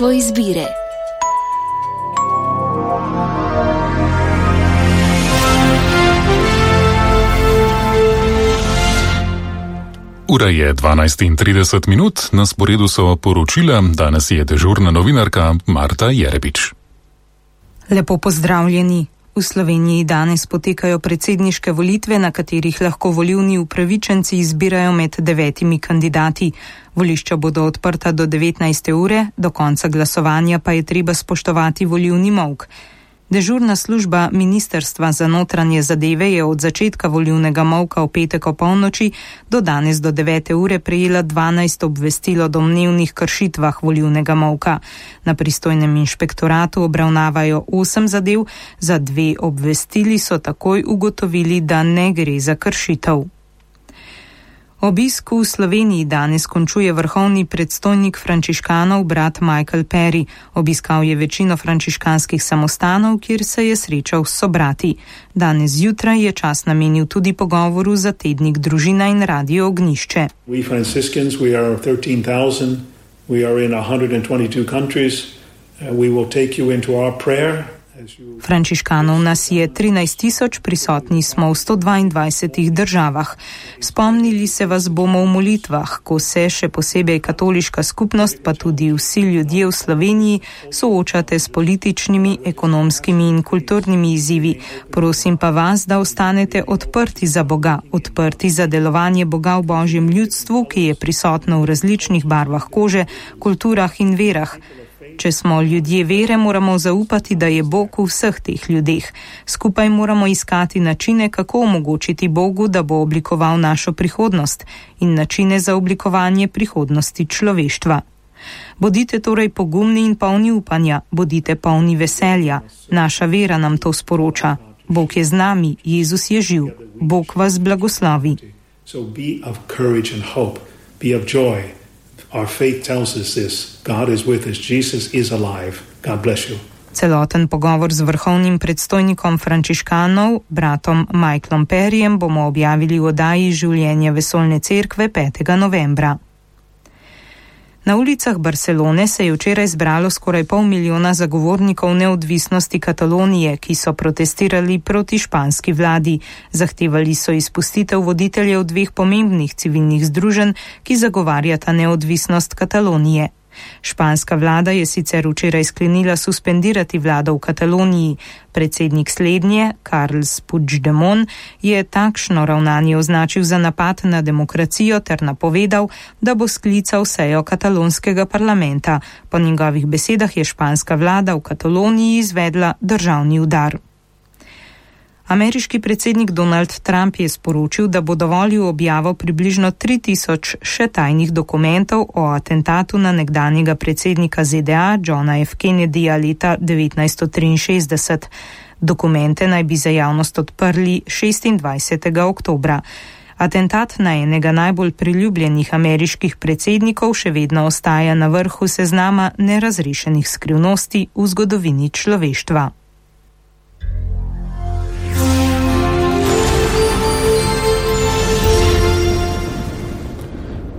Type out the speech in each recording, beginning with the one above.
Po izbire. Ura je 12:30, na sporedu so poročila, danes je dežurna novinarka Marta Jerebič. Lepo pozdravljeni. V Sloveniji danes potekajo predsedniške volitve, na katerih lahko volilni upravičenci izbirajo med 9 kandidati. Volišča bodo odprta do 19. ure, do konca glasovanja pa je treba spoštovati volilni molk. Dežurna služba Ministrstva za notranje zadeve je od začetka volilnega molka v petek o polnoči do danes do 9. ure prejela 12 obvestil o domnevnih kršitvah volilnega molka. Na pristojnem inšpektoratu obravnavajo 8 zadev, za 2 obvestili so takoj ugotovili, da ne gre za kršitev. Obisk v Sloveniji danes končuje vrhovni predstojnik frančiškanov brat Michael Perry. Obiskal je večino frančiškanskih samostanov, kjer se je srečal s sobrati. Danes zjutraj je čas namenil tudi pogovoru za tednik Družina in Radio Ognjišče. We Franciscans, we are 13,000. We are in 122 countries. We will take you into our prayer. Frančiškanov nas je 13.000, prisotni smo v 122 državah. Spomnili se vas bomo v molitvah, ko se še posebej katoliška skupnost, pa tudi vsi ljudje v Sloveniji soočate s političnimi, ekonomskimi in kulturnimi izzivi. Prosim pa vas, da ostanete odprti za Boga, odprti za delovanje Boga v Božjem ljudstvu, ki je prisotno v različnih barvah kože, kulturah in verah. Če smo ljudje vere, moramo zaupati, da je Bog v vseh teh ljudeh. Skupaj moramo iskati načine, kako omogočiti Bogu, da bo oblikoval našo prihodnost in načine za oblikovanje prihodnosti človeštva. Bodite torej pogumni in polni upanja, bodite polni veselja. Naša vera nam to sporoča. Bog je z nami, Jezus je živ. Bog vas blagoslovi. So be of courage and hope, be of joy. Our faith tells us this. God is with us. Jesus is alive. God bless you. Celoten pogovor z vrhovnim predstojnikom frančiškanov, bratom Michaelom Perryjem, bomo objavili v oddaji Življenje vesoljne cerkve 5. novembra. Na ulicah Barcelone se je včeraj zbralo skoraj 500,000 zagovornikov neodvisnosti Katalonije, ki so protestirali proti španski vladi. Zahtevali so izpustitev voditeljev 2 pomembnih civilnih združenj, ki zagovarjata neodvisnost Katalonije. Španska vlada je sicer včeraj sklenila suspendirati vlado v Kataloniji. Predsednik slednje, Carles Puigdemont, je takšno ravnanje označil za napad na demokracijo ter napovedal, da bo sklical sejo katalonskega parlamenta. Po njegovih besedah je španska vlada v Kataloniji izvedla državni udar. Ameriški predsednik Donald Trump je sporočil, da bo dovolil objavo približno 3000 še tajnih dokumentov o atentatu na nekdanjega predsednika ZDA Johna F. Kennedyja leta 1963. Dokumente naj bi za javnost odprli 26. oktobra. Atentat na enega najbolj priljubljenih ameriških predsednikov še vedno ostaja na vrhu seznama nerazrešenih skrivnosti v zgodovini človeštva.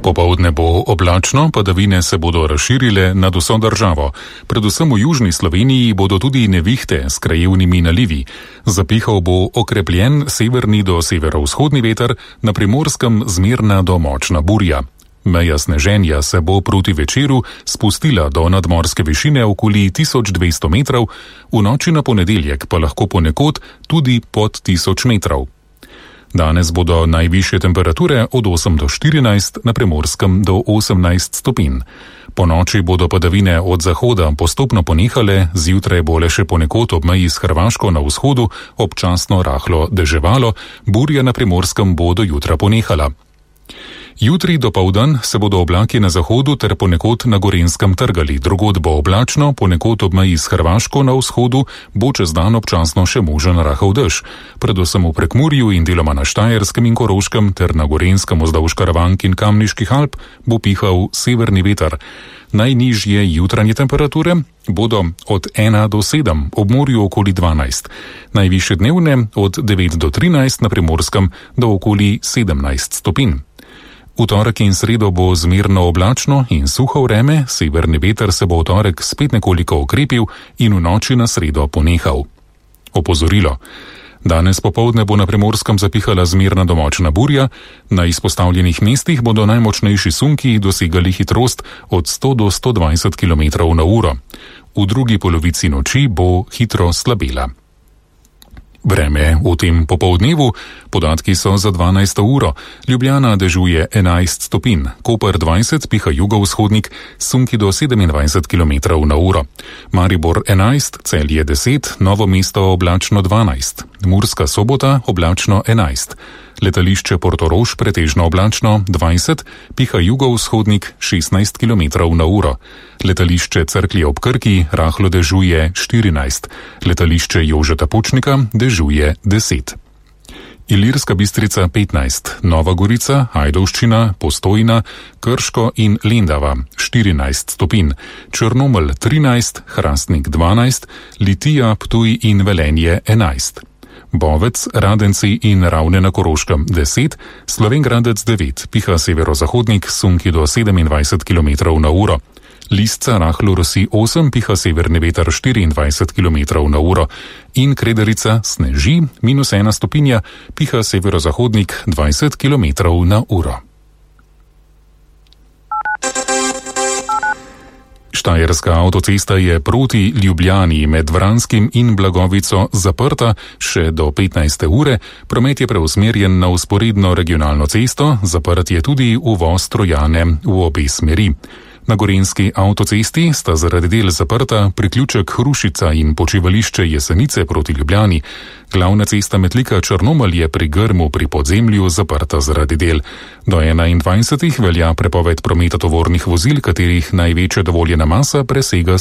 Popoldne bo oblačno, padavine se bodo razširile nad vso državo. Predvsem v južni Sloveniji bodo tudi nevihte s krajevnimi nalivi. Zapihal bo okrepljen severni do severovzhodni veter, na Primorskem zmerna do močna burja. Meja sneženja se bo proti večeru spustila do nadmorske višine okoli 1200 metrov, v noči na ponedeljek pa lahko ponekod tudi pod 1000 metrov. Danes bodo najvišje temperature od 8 do 14, na Primorskem do 18 stopinj. Po noči bodo padavine od zahoda postopno ponehale, zjutraj bo le še ponekod ob meji s Hrvaško na vzhodu občasno rahlo deževalo, burja na Primorskem bo do jutra ponehala. Jutri dopoldan se bodo oblaki na zahodu ter ponekod na Gorenjskem trgali, drugod bo oblačno, ponekod ob meji s Hrvaško na vzhodu bo čez dan občasno še možen rahel dež. Predvsem v Prekmurju in deloma na Štajerskem in Koroškem ter na Gorenjskem vzdolž Karavank in Kamniških Alp bo pihal severni veter. Najnižje jutranje temperature bodo od 1 do 7, ob morju okoli 12. Najvišje dnevne od 9 do 13, na Primorskem do okoli 17 stopinj. V torek in sredo bo zmerno oblačno in suho vreme, severni veter se bo v torek spet nekoliko okrepil in v noči na sredo ponehal. Opozorilo. Danes popoldne bo na Primorskem zapihala zmerna do močna burja, na izpostavljenih mestih bodo najmočnejši sunki dosegali hitrost od 100 do 120 km/h. V drugi polovici noči bo hitro slabela. Vreme v tem popoldnevu, podatki so za 12. uro. Ljubljana dežuje 11 stopinj, Koper 20, piha jugovzhodnik, sunki do 27 km/h. Maribor 11, Celje 10, Novo mesto oblačno 12, Murska Sobota oblačno 11, letališče Portorož pretežno oblačno 20, piha jugovzhodnik 16 km/h. Letališče Cerklje ob Krki rahlo dežuje 14, letališče Jožeta Pučnika dežuje 10. Ilirska Bistrica 15, Nova Gorica, Ajdovščina, Postojna, Krško in Lendava 14 stopinj, Črnomelj 13, Hrastnik 12, Litija, Ptuj in Velenje 11. Bovec, Radenci in Ravne na Koroškem 10, Slovenj Gradec 9, piha severozahodnik, sunki do 27 km/h. Lisca rahlo rosi 8, piha severni veter 24 km/h in Krederica sneži -1 stopinja, piha severozahodnik 20 km/h. Štajerska avtocesta je proti Ljubljani med Vranskim in Blagovico zaprta še do 15. ure, promet je preusmerjen na vzporedno regionalno cesto, zaprt je tudi uvoz Trojane v obe smeri. Na gorenjski avtocesti sta zaradi del zaprta priključek Hrušica in počivališče Jesenice proti Ljubljani. Glavna cesta Metlika Črnomelj je pri Grmu pri podzemlju zaprta zaradi del. Do 21. velja prepoved prometa tovornih vozil, katerih največja dovoljena masa presega